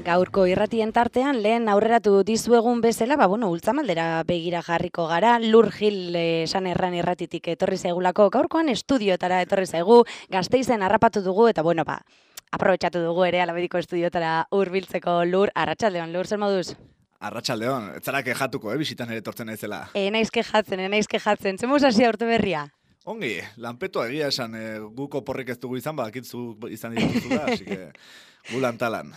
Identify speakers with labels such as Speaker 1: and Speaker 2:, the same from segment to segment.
Speaker 1: Gaurko irratien tartean, lehen aurreratu dizuegun bezala, ultzamaldera begira jarriko gara, Lur Gil esan erran irratitik etorri zaigulako, gaurkoan estudioetara etorri zaigu, Gasteizen harrapatu dugu, eta aprobetxatu dugu ere Alabediko estudioetara hurbiltzeko. Lur, arratsaldeon, Lur, zer moduz?
Speaker 2: Arratsaldeon, ez zara kejatuko, bizitan ere etortzen naizela.
Speaker 1: Naiz kejatzen, zemuz hasia urte berria?
Speaker 2: Ongi, lanpetua egia esan, guko porrik ez dugu izan, bakitzu izan dituzu da, así que gu lantalan.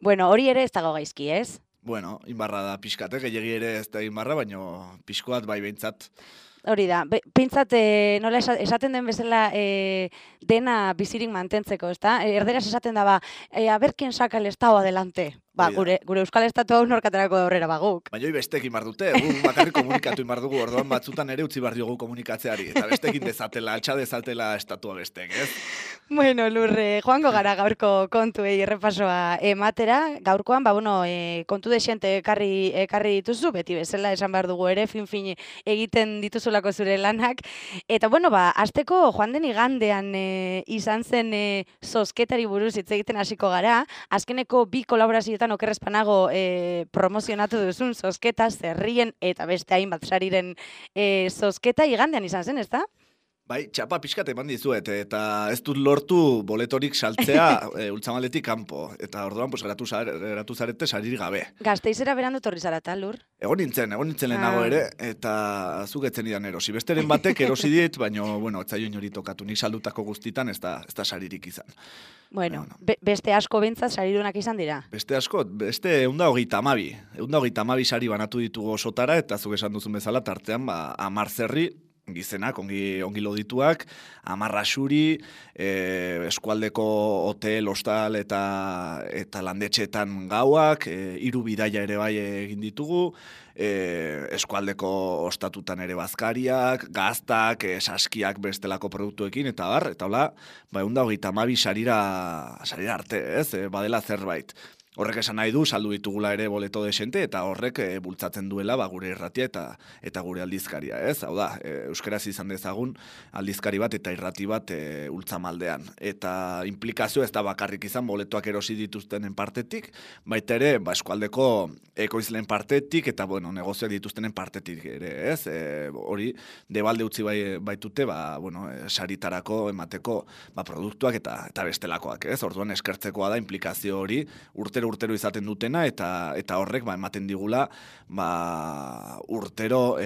Speaker 1: Bueno, hori ere ez dago gaizki, ez?
Speaker 2: Bueno, inbarra da pixkate, gehiagi ere ez da inbarra, baino pixkoat bai behintzat.
Speaker 1: Hori da, pintzat nola esaten den bezala dena bizirik mantentzeko, ezta? Erderaz esaten da, a ver quién saca el estado adelante. Gure Euskal Estatu hau norkaterako aurrera guk.
Speaker 2: Baina bestek inbar dute, bakarrik komunikatu inbar dugu, orduan batzutan ere utzi bar diogu komunikatzeari, eta bestekin dezatela, altxa dezatela estatua bestek, ez?
Speaker 1: Bueno, Lurre, joango gara gaurko kontuei errepasoa ematera. Gaurkoan, kontu desente ekarri dituzu, beti bezala esan behar dugu ere, fin egiten dituzulako zure lanak. Eta, azteko joan den igandean izan zen zozketari buruz hitz egiten hasiko gara. Azkeneko bi kolaborazioetan okerrezpanago promozionatu duzun zozketa, zerrien eta beste hainbat sariren zozketa igandean izan zen, ezta?
Speaker 2: Bai, txapa pixkat eman dizuet, eta ez dut lortu boletorik saltzea ultzamaletik kanpo, eta orduan geratu zarete saririk gabe.
Speaker 1: Gasteizera berandu torri zarata, Lur?
Speaker 2: Egon nintzen lehenago ere, eta zugetzen idan erosi. Besteren batek erosi dit, baina, etzaio inori tokatu, nik saldutako guztitan ez da saririk izan.
Speaker 1: Beste asko bintzat saridunak izan dira?
Speaker 2: Beste 132 sari banatu ditugu osotara, eta zuk esan duzun bezala tartean, 10 zerri, gizenak, ongi lodituak, 10 rasuri, eskualdeko hotel, hostal eta landetxeetan gauak, 3 bidaia ere bai egin ditugu, eskualdeko ostatutan ere bazkariak, gaztak, saskiak bestelako produktuekin, eta hola, 132 sarira arte, ez? Badela zerbait. Horrek esan nahi du, saldu ditugula ere boleto desente, eta horrek bultzatzen duela gure irratia eta gure aldizkaria, ez? Hau da, euskaraz izan dezagun aldizkari bat eta irrati bat ultzamaldean. Eta implikazio ez da bakarrik izan boletoak erosi dituztenen partetik, baita ere, eskualdeko ekoizleen partetik, eta negozioak dituztenen partetik ere, ez? Hori, debalde utzi baitute, saritarako emateko produktuak eta bestelakoak, ez? Orduan eskertzekoa da implikazio hori urtero izaten dutena, eta horrek ematen digula urtero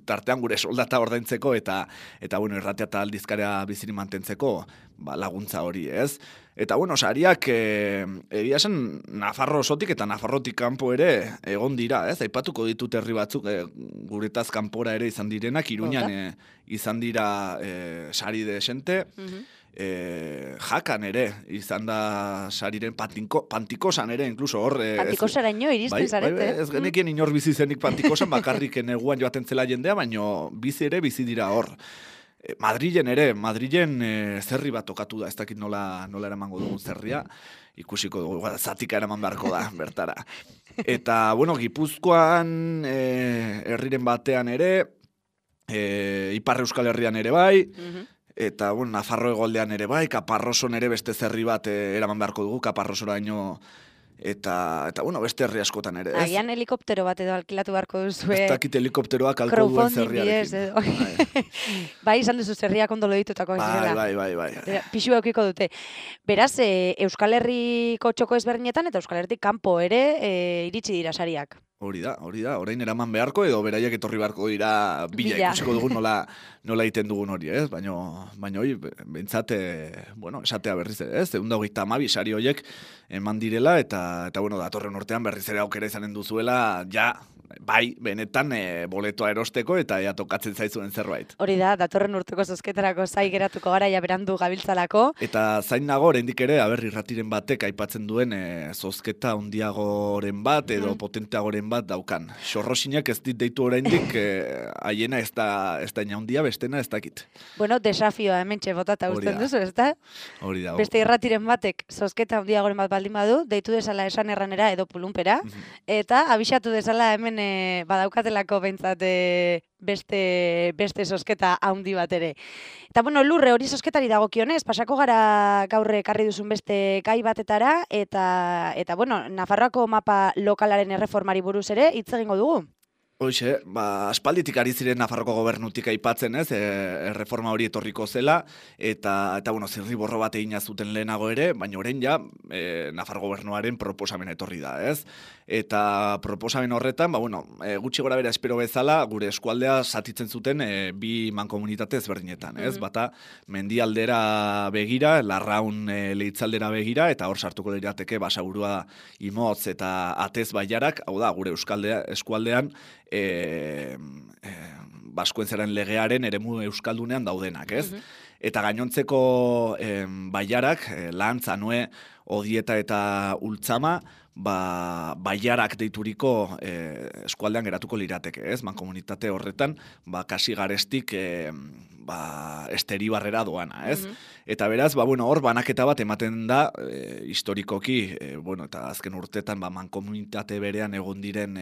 Speaker 2: tartean gure soldata ordaintzeko eta irratia eta aldizkarea biziri mantentzeko laguntza hori, ez? Eta sariak egia esan Nafarro osotik eta Nafarrotik kanpo ere egon dira, ez? Aipatuko ditut herri batzuk guretaz kanpora ere izan direnak, Iruñan izan dira sari desente, Jakan ere, izan da sariren Pantikosan ere, inkluso hor...
Speaker 1: Pantikosaraino iristen zarete.
Speaker 2: Ez genekien inor bizi zenik Pantikosan, bakarrik neguan joaten zela jendea, baino bizi dira hor. Madrilen zerri bat tokatu da, ez dakit nola eramango dugun zerria, ikusiko dugu, zatika eraman beharko da, bertara. Eta, Gipuzkoan, herriren batean ere, Ipar Euskal Herrian ere bai, eta, Nafarro Hegoldean ere bai, Kaparroson ere beste zerri bat eraman beharko dugu, Kaparrosoraino, eta beste herri askotan ere, ez?
Speaker 1: Agian helikoptero bat edo alkilatu beharko duzue.
Speaker 2: Ez dakit helikopteroak alko duen zerriarekin.
Speaker 1: Bai, izan duzu zerriak ondo loditutako.
Speaker 2: Bai.
Speaker 1: Pixu eukiko dute. Beraz, Euskal Herriko txoko ezberdinetan eta Euskal Herritik kanpo ere iritsi dira sariak.
Speaker 2: Hori da, orain eraman beharko edo beraiek etorri beharko dira bila ikusiko dugun nola egiten dugun hori, ez? Baina hori, behintzat, esatea berriz ere, ez? 132 sari horiek eman direla, eta datorren urtean berriz ere aukera izanen duzuela, bai, benetan boletoa erosteko eta tokatzen zaizuen zerbait.
Speaker 1: Hori da, datorren urteko zozketarako zai geratuko gara, berandu gabiltzalako.
Speaker 2: Eta zain nago, oraindik ere, irratiren batek aipatzen duen zozketa handiagoren bat edo potenteagoren bat daukan. Xorrosinak ez dit deitu oraindik, haiena ez da handia, bestena ez dakit.
Speaker 1: Desafioa hementxe botata usten duzu, ez da?
Speaker 2: Hori da.
Speaker 1: Beste irratiren batek zozketa handiagoren bat baldin badu, deitu desala esan erranera edo pulunpera, eta abixatu desala hemen badaukatelako behintzat beste sosketa handi bat ere. Eta bueno, Lurre, hori sosketari dagokionez, pasako gara gaur ekarri duzun beste gai batetara, eta bueno, Nafarroako mapa lokalaren erreformari buruz ere hitz egingo dugu.
Speaker 2: Hoxe, aspalditik ari ziren Nafarroko gobernutik aipatzen, ez, erreforma hori etorriko zela, eta bueno, zirriborro bat egina zuten lehenago ere, baina orain ja, Nafar gobernuaren proposamen etorri da, ez? Eta proposamen horretan, bueno, gutxi gora bera espero bezala, gure eskualdea zatitzen zuten bi mankomunitate ezberdinetan, ez? Bata, mendialdera begira, Larraun leitzaldera begira, eta hor sartuko lirateke Basaburua, Imotz eta Atez Bailarak, hau da, gure eskualdean, Baskoentzaren legearen eremu euskaldunean daudenak, ez? Eta gainontzeko bailarak, Lantza, Noe, Odieta eta Ultzama, bailarak deituriko eskualdean geratuko lirateke, ez? Mankomunitate horretan, kasi garestik esteri-barrera doana, ez? Eta beraz, bueno, hor banaketa bat ematen da, historikoki, bueno, eta azken urtetan mankomunitate berean egon diren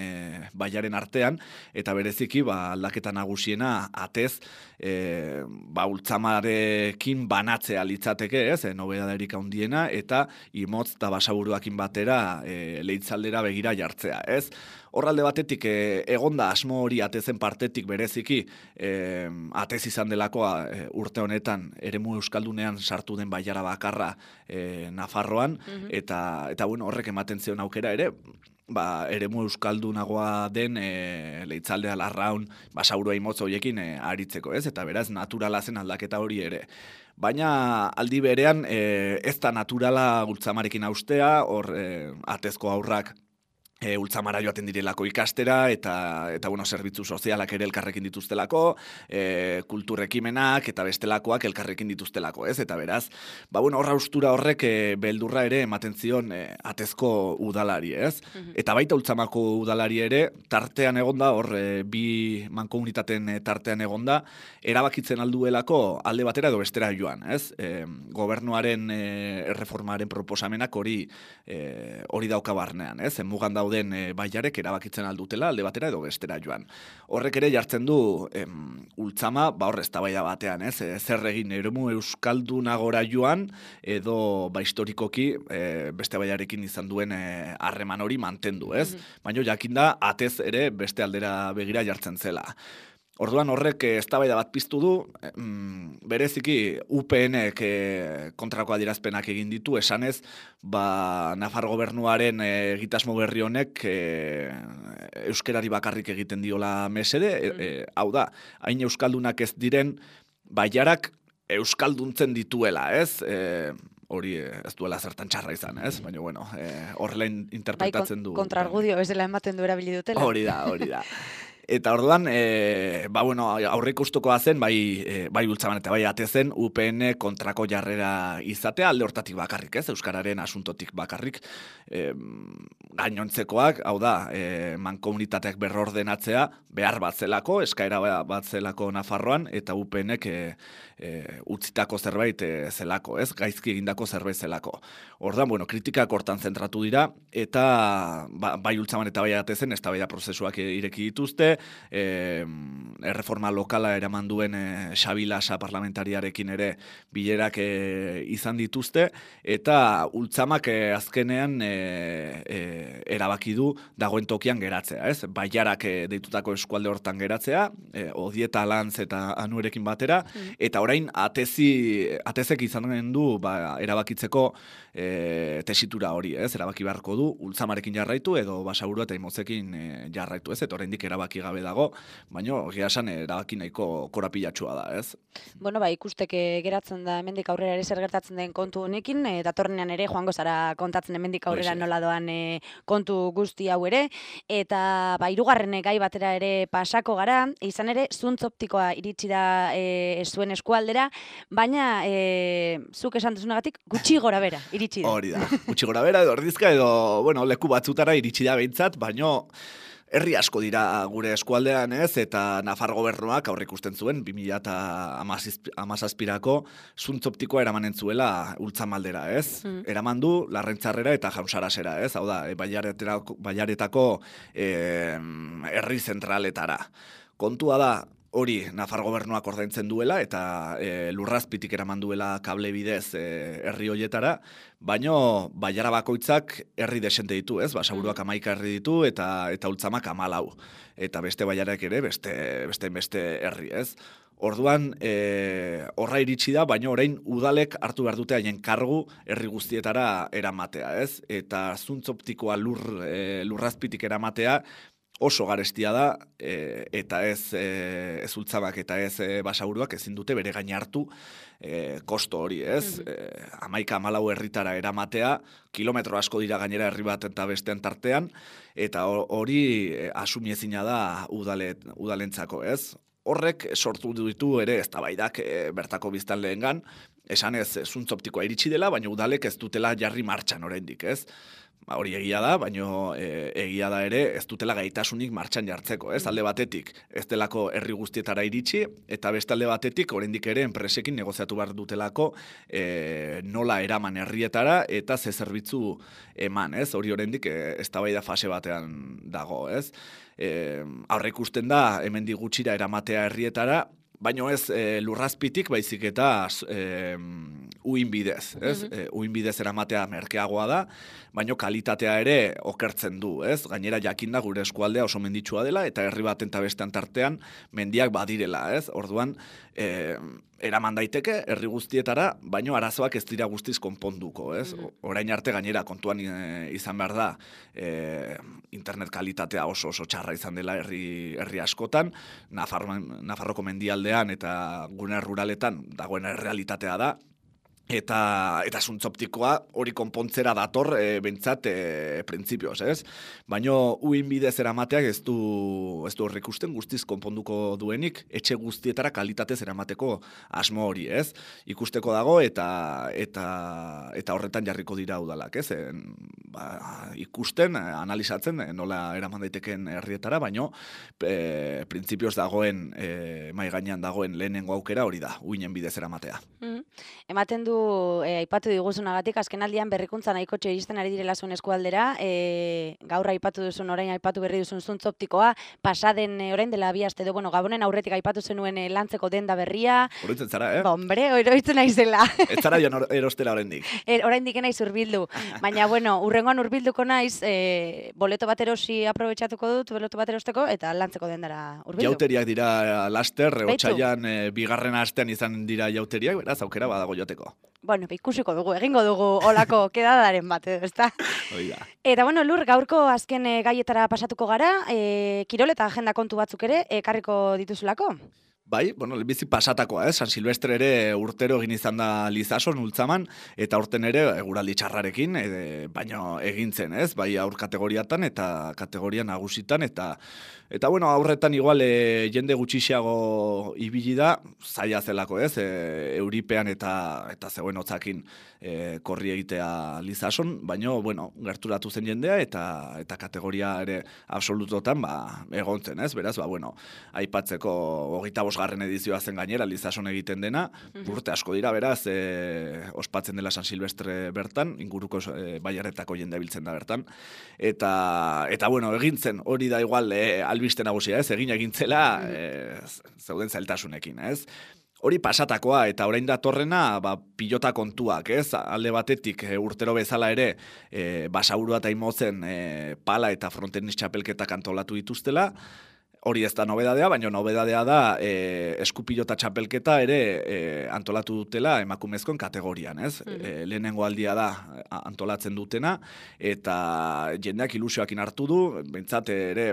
Speaker 2: bailaren artean, eta bereziki aldaketa nagusiena Atez, Ultzamarekin banatzea litzateke, ez? Nobedaderik handiena, eta Imotz eta Basaburuakin batera leitzaldera begira jartzea, ez? Horralde batetik egonda asmo hori Atezen partetik bereziki Atez izan delako urte honetan eremu euskaldunean sartu den bailara bakarra Nafarroan, eta bueno, horrek ematen zion aukera ere, eremu euskaldunagoa den leitzaldea Larraun, Basaburua, Imotz horiekin aritzeko, ez? Eta beraz naturala zen aldaketa hori ere. Baina aldi berean ez da naturala Ultzamarekin haustea, hor Atezko haurrak Ultzamara joaten direlako ikastera, eta bueno, zerbitzu sozialak ere elkarrekin dituztelako, kulturrekimenak eta bestelakoak elkarrekin dituztelako, ez? Eta beraz, bueno, horra haustura horrek beldurra ere ematen zion Atezko udalari, ez? Eta baita Ultzamako udalari ere, tartean egonda, hor bi mankomunitateen tartean egonda, erabakitzen alduelako alde batera edo bestera joan, ez? Gobernuaren erreformaren proposamenak hori dauka barnean, ez? Mugan dauden bailarek erabakitzen aldutela alde batera edo bestera joan. Horrek ere jartzen du Ultzama, hor eztabaida batean, ez? Zer egin eremu euskaldunagora joan edo historikoki beste bailarekin izan duen harreman hori mantendu, ez? Baina jakinda Atez ere beste aldera begira jartzen zela. Orduan horrek eztabaida bat piztu du, bereziki UPNek kontrako adierazpenak egin ditu, esanez, Nafar gobernuaren egitasmo berri honek euskerari bakarrik egiten diola mesede, hau da, hain euskaldunak ez diren bailarak euskalduntzen dituela, ez? Hori ez duela zertan txarra izan, ez? Baina, bueno, horrela interpretatzen du.
Speaker 1: Kontrargudio, ez dela ematen du erabili dutela.
Speaker 2: Hori da. Eta orduan, bueno, aurreiko ustokoa zen, bai Ultzaman eta bai Atezen, UPN kontrako jarrera izatea, alde hortatik bakarrik, ez? Euskararen asuntotik bakarrik, gainontzekoak, hau da, mankomunitateak berrordenatzea, behar bat zelako, eskaera bat zelako Nafarroan, eta UPNek utzitako zerbait zelako, ez? Gaizki egindako zerbait zelako. Orduan, bueno, kritikak hortan zentratu dira, eta bai Ultzaman eta bai Atezen, eztabaida prozesuak ireki dituzte, erreforma lokala eraman duen Xabi Lasa parlamentariarekin ere bilerak izan dituzte, eta Ultzamak azkenean erabaki du dagoen tokian geratzea, ez? Bailarak deitutako eskualde hortan geratzea, Odieta, Lantz eta Anuerekin batera, eta orain Atezek izanen du erabakitzeko tesitura hori, ez? Erabaki beharko du Ultzamarekin jarraitu edo Basaburua eta Imotzekin jarraitu, ez? Eta oraindik erabaki gabe dago, baina egia esan erabaki nahiko korapilatsua da, ez?
Speaker 1: Bueno, ikusteke geratzen da hemendik aurrera ere zer gertatzen den kontu honekin, datorrenean ere joango zara kontatzen hemendik aurrera nola doan kontu guzti hau ere, eta hirugarren gai batera ere pasako gara, izan ere zuntz optikoa iritsi da zuen eskualdera, baina zuk esan duzunagatik gutxi gora bera iritsi da.
Speaker 2: Hori da, gutxi gora bera edo erdizka edo, bueno, leku batzutara iritsi da behintzat, baina herri asko dira gure eskualdean, ez? Eta Nafar gobernuak aurreikusten zuen 2017ko zuntz optikoa eramanen zuela Ultzamaldera, ez? Eraman du Larrentzarrera eta Jausarasera, ez? Hau da, bailaretako herri zentraletara. Kontua da, hori Nafar gobernuak ordaintzen duela eta lurrazpitik eraman duela kable bidez herri hoietara, baino bailara bakoitzak herri desente ditu, ez? Basaburuak 11 herri ditu eta Ultzamak 14. Eta beste bailarak ere beste herri, ez? Orduan, horra iritsi da, baina orain udalek hartu behar dute haien kargu herri guztietara eramatea, ez? Eta zuntz optikoa lurrazpitik eramatea oso garestia da, eta ez Ultzabak eta ez Basaburuak ezin dute bere gain hartu kosto hori, ez? 11-14 herritara eramatea, kilometro asko dira gainera herri bat eta bestean tartean, eta hori asumiezina da udalentzako, ez? Horrek sortu ditu ere eztabaidak bertako biztanleengan, esanez zuntz optikoa iritsi dela, baina udalek ez dutela jarri martxan oraindik, ez? Hori egia da, baina egia da ere ez dutela gaitasunik martxan jartzeko, ez? Alde batetik ez delako herri guztietara iritsi, eta beste alde batetik oraindik ere enpresekin negoziatu behar dutelako nola eraman herrietara eta ze zerbitzu eman, ez? Hori oraindik eztabaida fase batean dago, ez? Aurreikusten da hemendik gutxira eramatea herrietara, baino ez lurrazpitik baizik eta uin bidez, ez? Uin bidez eramatea merkeagoa da, baino kalitatea ere okertzen du, ez? Gainera jakinda gure eskualdea oso menditsua dela eta herri baten eta bestean tartean mendiak badirela, ez? Orduan, eraman daiteke herri guztietara, baino arazoak ez dira guztiz konponduko, ez? Orain arte gainera kontuan izan behar da internet kalitatea oso txarra izan dela herri askotan, Nafarroko mendialdean eta gune ruraletan dagoen errealitatea da, eta zuntz optikoa hori konpontzera dator bentsat printzipioz, ez? Baina uin bidez eramateak ez du horrek ikusten guztiz konponduko duenik, etxe guztietara kalitatez eramateko asmo hori, ez? Ikusteko dago eta horretan jarriko dira udalak, ez? Ikusten, analizatzen nola eraman daiteken herrietara, baina printzipioz dagoen mai gainean dagoen lehenengo aukera hori da, uinen bidez eramatea.
Speaker 1: Ematen du aipatu diguzunagatik, azkenaldian berrikuntza nahikotxe iristen ari direla zuen eskualdera, gaur aipatu duzun, orain aipatu berri duzun zuntz optikoa, pasaden orain dela 2 aste edo, Gabonen aurretik aipatu zenuen lantzeko denda berria.
Speaker 2: Oroitzen zara,
Speaker 1: Hombre, oroitzen naizela.
Speaker 2: Ez zara joan erostera oraindik.
Speaker 1: Oraindik naiz hurbildu, baina urrengoan hurbilduko naiz, boleto bat erosi aprobetxatuko dut, boleto bat erosteko, eta lantzeko dendara hurbildu.
Speaker 2: Jauteriak dira laster, otsailean bigarren astean izan dira jauteriak, beraz aukera badago joteko.
Speaker 1: Bueno, ikusiko dugu, egingo dugu olako kedadaren bat, ezta?
Speaker 2: Oida.
Speaker 1: Eta Lur, gaurko azken gaietara pasatuko gara, kirol eta agenda kontu batzuk ere ekarriko dituzulako?
Speaker 2: Bai, bizi pasatakoa, San Silvestre ere urtero egin izan da Lizason, Ultzaman, eta urten ere eguraldi txarrarekin, baina egintzen, ez? Bai aur kategoriatan eta kategoria nagusitan, eta aurretan igual jende gutxiago ibili da, zaila zelako, ez? Euripean eta zegoen hotzakin korri egitea Lizason, baina, gerturatu zen jendea, eta kategoria ere absolutotan, egontzen, ez? Beraz, aipatzeko 25. edizioa zen gainera, Lizason egiten dena, urte asko dira, beraz, ospatzen dela San Silvestre bertan, inguruko baiaretako jende biltzen da bertan, eta egintzen, hori da igual, albiste nagusia, ez? Egintzela, zeuden zailtasunekin, ez? Hori pasatakoa, eta orain datorrena, pilota kontuak, ez? Alde batetik urtero bezala ere, Basaburua eta Imotzen pala eta frontenis txapelketak antolatu dituztela, hori ez da nobedadea, baina nobedadea da eskupilota txapelketa ere antolatu dutela emakumezkoen kategorian, ez? Lehenengo aldia da antolatzen dutena, eta jendeak ilusioakin hartu du, bentsat ere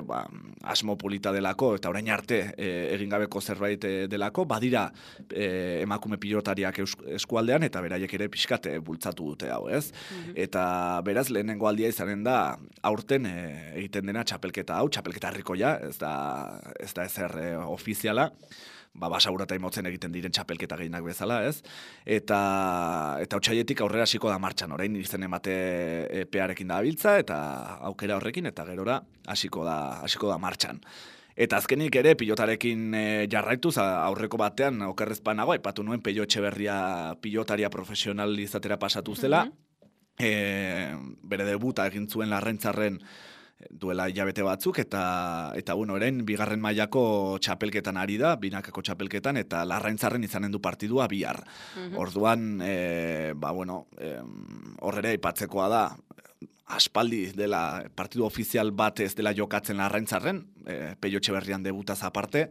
Speaker 2: asmo polita delako, eta orain arte egingabeko zerbait delako, badira emakume pilotariak eskualdean, eta beraiek ere pixkat bultzatu dute hau, ez? Eta beraz lehenengo aldia izanen da aurten egiten dena txapelketa hau, txapelketa herrikoia, ez da ezer ofiziala, Basaburua eta Imotzen egiten diren txapelketa gehienak bezala, ez? Eta otsailletik aurrera hasiko da martxan, orain izen emate epearekin da abiltza, eta aukera horrekin, eta gerora hasiko da martxan. Eta azkenik ere pilotarekin jarraituz, aurreko batean okerrezpanago, aipatu nuen Peio Etxeberria pilotaria profesional izatera pasatu zela, bere debuta egin zuen Larraintzarren duela hilabete batzuk, eta bueno, orain bigarren mailako txapelketan ari da, binakako txapelketan, eta Larraintzarren izanen du partidua bihar. Orduan, horrere aipatzekoa da, aspaldi dela partidu ofizial bat ez dela jokatzen Larraintzarren, Peio Etxeberrian debutaz aparte,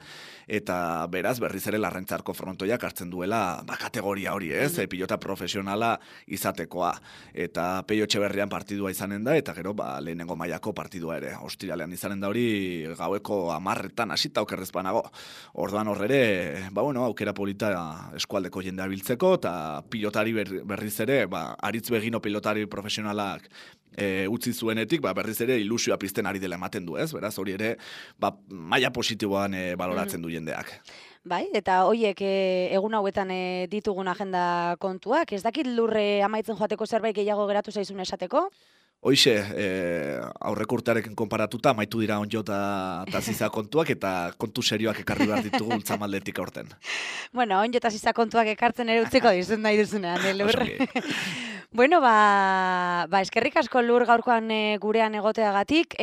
Speaker 2: eta beraz berriz ere Larraintzarko frontoiak hartzen duela kategoria hori, ez? Pilota profesionala izatekoa. Eta Peio Etxeberrian partidua izanen da, eta gero lehenengo mailako partidua ere. Ostiralean izanen da hori gaueko 10etan hasita okerrez banago. Orduan horrere, aukera polita eskualdeko jendea biltzeko, eta pilotari berriz ere, Aritz Begino pilotari profesionalak utzi zuenetik, berriz ere ilusioa pizten ari dela ematen du, ez? Beraz, hori ere, maila positiboan baloratzen du jendeak.
Speaker 1: Bai, eta hoiek egun hauetan ditugun agenda kontuak, ez dakit lurre amaitzen joateko zerbait gehiago geratu zaizun esateko?
Speaker 2: Hoixe, aurreko urtearekin konparatuta, amaitu dira onjo eta ziza kontuak, eta kontu serioak ekarri behar ditugu ultzamaldetik aurten.
Speaker 1: Bueno, onjo eta ziza kontuak ekartzen ere utziko dizun nahi duzunean, lur. Bueno, eskerrik asko lur gaurkoan gurean egoteagatik,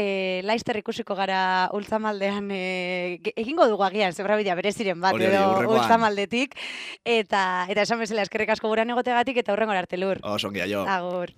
Speaker 1: Laister ikusiko gara ultzamaldean, egingo dugu agian, zebrabidea bereziren bat, edo ultzamaldetik, eta esan bezala eskerrik asko gurean egoteagatik, eta hurrengora arte lur.
Speaker 2: Osongi, aio.
Speaker 1: Agur.